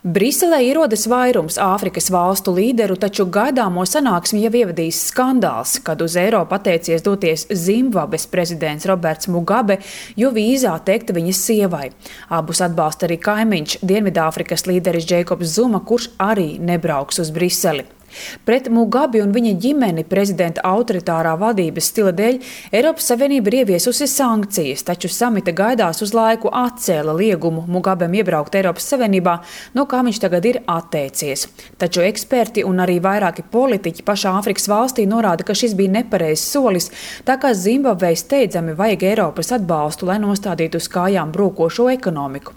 Briselē ierodas vairums Āfrikas valstu līderu, taču gaidāmo sanāksmi jau ievadīs skandāls, kad uz Eiropu atteicies doties Zimbabves prezidents Roberts Mugabe, jo vīzā teikta viņas sievai. Abus atbalsta arī kaimiņš Dienvidāfrikas līderis Džeikobs Zuma, kurš arī nebrauks uz Briseli. Pret Mugabi un viņa ģimeni prezidenta autoritārā vadības stila dēļ Eiropas Savienība ir ieviesusi sankcijas, taču samita gaidās uz laiku atcēla liegumu Mugabem iebraukt Eiropas Savienībā, no kā viņš tagad ir atteicies. Taču eksperti un arī vairāki politiķi pašā Āfrikas valstī norāda, ka šis bija nepareizs solis, tā kā Zimbabvei steidzami vajag Eiropas atbalstu, lai nostādītu uz kājām brūkošo ekonomiku.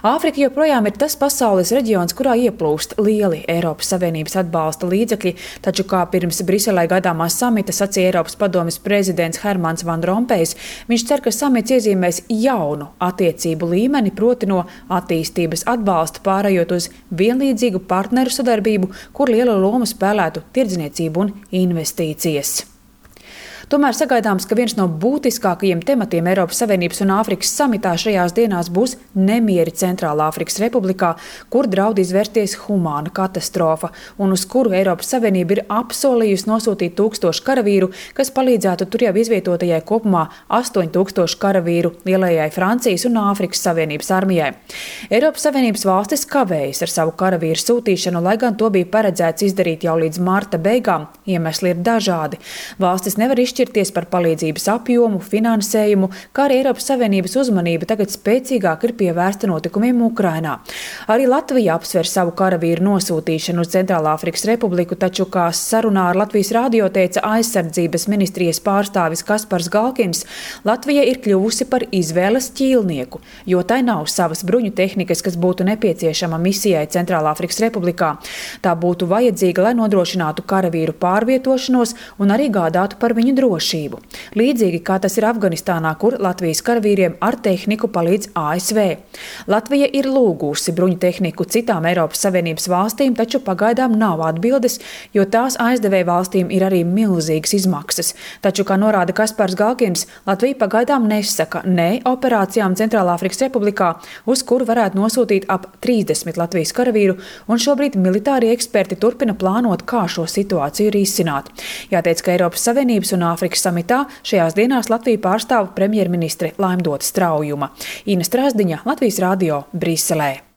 Āfrika joprojām ir tas pasaules reģions, kurā ieplūst lieli Eiropas Savienības atbalsta līdzekļi, taču kā pirms Briselē gaidāmā samita sacīja Eiropas padomes prezidents Hermans Van Rompējs, viņš cer, ka samits iezīmēs jaunu attiecību līmeni, proti no attīstības atbalsta pārējot uz vienlīdzīgu partneru sadarbību, kur liela loma spēlētu tirdzniecību un investīcijas. Tomēr sagaidāms, ka viens no būtiskākajiem tematiem Eiropas Savienības un Āfrikas samitā šajās dienās būs nemieri Centrālā Āfrikas Republikā, kur draud izvērsties humāna katastrofa un uz kuru Eiropas Savienība ir apsolījusi nosūtīt 1000 karavīru, kas palīdzētu tur jau izvietotajai kopumā 8000 karavīru lielajai Francijas un Āfrikas Savienības armijai. Eiropas Savienības valstis kavējas ar savu karavīru sūtīšanu, lai gan to bija paredzēts izdarīt jau līdz marta beigām. Iemesli ir dažādi. Valstis nevar izšķirties par palīdzības apjomu, finansējumu, kā arī Eiropas Savienības uzmanība tagad spēcīgāk ir pievērsta notikumiem Ukrainā. Arī Latvija apsver savu karavīru nosūtīšanu uz Centrālā Āfrikas Republiku, taču, kā sarunā ar Latvijas radio teica aizsardzības ministrijas pārstāvis Kaspars Galkins, Latvija ir kļuvusi par izvēles ķīlnieku, jo tai nav savas bruņu tehnikas, kas būtu nepieciešama misijai Centrālā Āfrikas Republikā. Tā būtu vajadzīga, lai nodrošinātu karavīru pārvietošanos un arī gādātu par viņu drošību. Līdzīgi kā tas ir Afganistānā, kur Latvijas karavīriem ar tehniku palīdz ASV. Latvija ir lūgusi bruņu tehniku citām Eiropas Savienības valstīm, taču pagaidām nav atbildes, jo tās aizdevēja valstīm ir arī milzīgas izmaksas. Taču, kā norāda Kaspars Galkins, Latvija pagaidām nesaka ne operācijām Centrālā Āfrikas Republikā, uz kuru varētu nosūtīt ap 30 Latvijas karavīru, un šobrīd militārie eksperti turpina plānot, kā šo situāciju risināt. Jāteic, ka Eiropas Savienības un Āfrikas samitā šajās dienās Latviju pārstāv premjerministre Laimdota Straujuma. Ina Strasdiņa, Latvijas radio, Briselē.